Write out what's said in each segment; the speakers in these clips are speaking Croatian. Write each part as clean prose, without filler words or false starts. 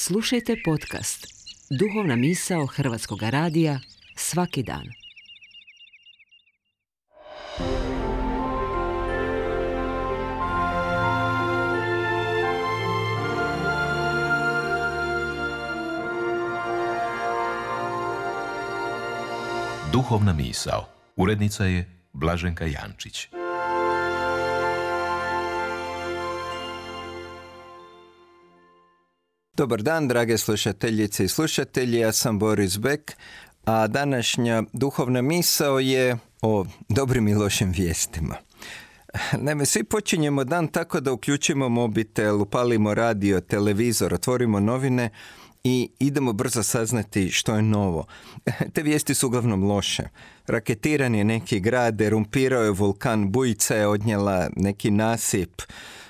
Slušajte podcast Duhovna misao Hrvatskog radija svaki dan. Duhovna misao. Urednica je Blaženka Jančić. Dobar dan, drage slušateljice i slušatelji, ja sam Boris Bek, a današnja duhovna misao je o dobrim i lošim vijestima. Naime, svi počinjemo dan tako da uključimo mobitel, upalimo radio, televizor, otvorimo novine i idemo brzo saznati što je novo. Te vijesti su uglavnom loše. Raketiran je neki grad, erumpirao je vulkan, bujica je odnijela neki nasip,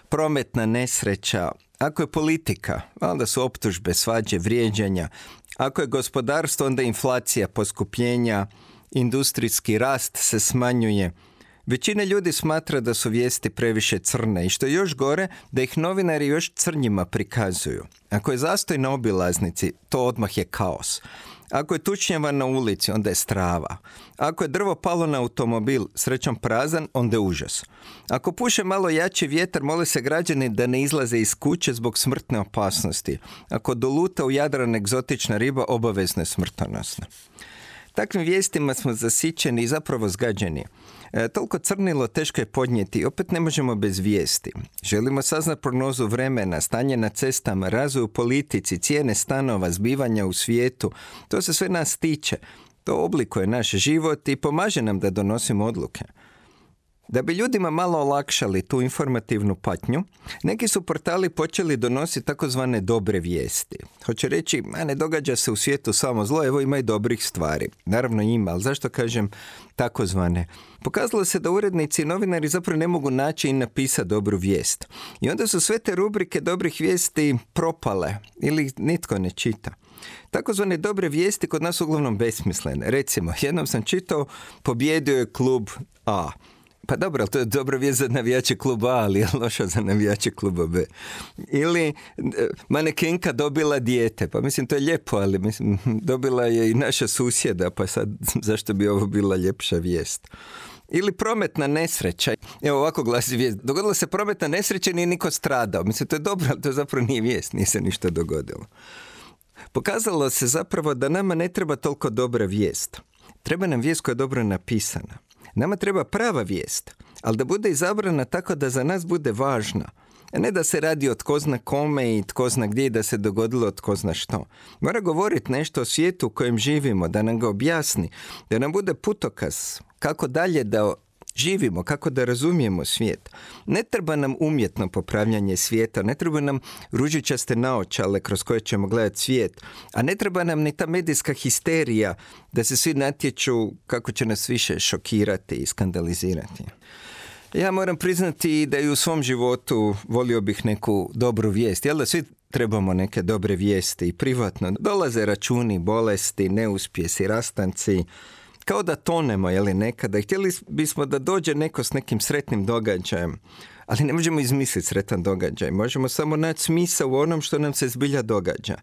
prometna nesreća. Ako je politika, onda su optužbe, svađe, vrijeđanja. Ako je gospodarstvo, onda inflacija, poskupljenja, industrijski rast se smanjuje. Većina ljudi smatra da su vijesti previše crne i što je još gore, da ih novinari još crnjima prikazuju. Ako je zastoj na obilaznici, to odmah je kaos. Ako je tučnjava na ulici, onda je strava. Ako je drvo palo na automobil, srećom prazan, onda je užas. Ako puše malo jači vjetar, mole se građani da ne izlaze iz kuće zbog smrtne opasnosti. Ako doluta u Jadran egzotična riba, obavezno je smrtonosna. Takvim vijestima smo zasićeni i zapravo zgađeni. Toliko crnilo teško je podnijeti, opet ne možemo bez vijesti. Želimo saznati prognozu vremena, stanje na cestama, razvoj u politici, cijene stanova, zbivanja u svijetu. To se sve nas tiče. To oblikuje naš život i pomaže nam da donosimo odluke. Da bi ljudima malo olakšali tu informativnu patnju, neki su portali počeli donositi takozvane dobre vijesti. Hoće reći, ne događa se u svijetu samo zlo, evo ima i dobrih stvari. Naravno ima, ali zašto kažem takozvane? Pokazalo se da urednici i novinari zapravo ne mogu naći i napisati dobru vijest. I onda su sve te rubrike dobrih vijesti propale ili nitko ne čita. Takozvane dobre vijesti kod nas uglavnom besmislene. Recimo, jednom sam čitao, pobjedio je klub A. Pa dobro, to je dobra vijest za navijače kluba A, ali je loša za navijače kluba B. Ili manekenka dobila dijete. Pa mislim, to je lijepo, ali mislim, dobila je i naša susjeda, pa sad zašto bi ovo bila ljepša vijest? Ili prometna nesreća. Evo ovako glasi vijest. Dogodila se prometna nesreća i nije niko stradao. Mislim, to je dobro, ali to zapravo nije vijest, nije se ništa dogodilo. Pokazalo se zapravo da nama ne treba toliko dobra vijest. Treba nam vijest koja je dobro napisana. Nama treba prava vijest, ali da bude izabrana tako da za nas bude važna. A ne da se radi o tko zna kome i tko zna gdje i da se dogodilo tko zna što. Mora govoriti nešto o svijetu u kojem živimo, da nam ga objasni, da nam bude putokaz kako dalje da živimo, kako da razumijemo svijet. Ne treba nam umjetno popravljanje svijeta, ne treba nam ružičaste naočale kroz koje ćemo gledati svijet, a ne treba nam ni ta medijska histerija da se svi natječu kako će nas više šokirati i skandalizirati. Ja moram priznati da i u svom životu volio bih neku dobru vijest. Jel da svi trebamo neke dobre vijesti i privatno? Dolaze računi, bolesti, neuspjesi, rastanci, kao da tonemo, jeli nekada. Htjeli bismo da dođe neko s nekim sretnim događajem, ali ne možemo izmisliti sretan događaj. Možemo samo naći smisao u onom što nam se zbilja događa.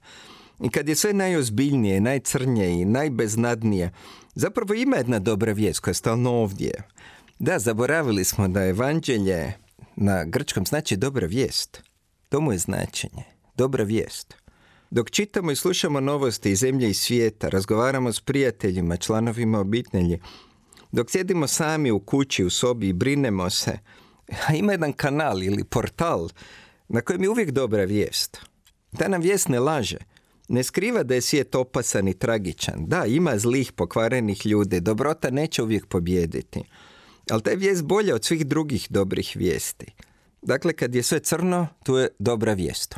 I kad je sve najozbiljnije, najcrnije i najbeznadnije, zapravo ima jedna dobra vijest koja je stalno ovdje. Da, zaboravili smo da evanđelje na grčkom znači dobra vijest. To mu je značenje. Dobra vijest. Dok čitamo i slušamo novosti iz zemlje i svijeta, razgovaramo s prijateljima, članovima obitelji, dok sjedimo sami u kući, u sobi i brinemo se, ima jedan kanal ili portal na kojem je uvijek dobra vijest. Ta nam vijest ne laže. Ne skriva da je svijet opasan i tragičan. Da, ima zlih, pokvarenih ljudi. Dobrota neće uvijek pobijediti. Ali ta je vijest bolja od svih drugih dobrih vijesti. Dakle, kad je sve crno, tu je dobra vijest.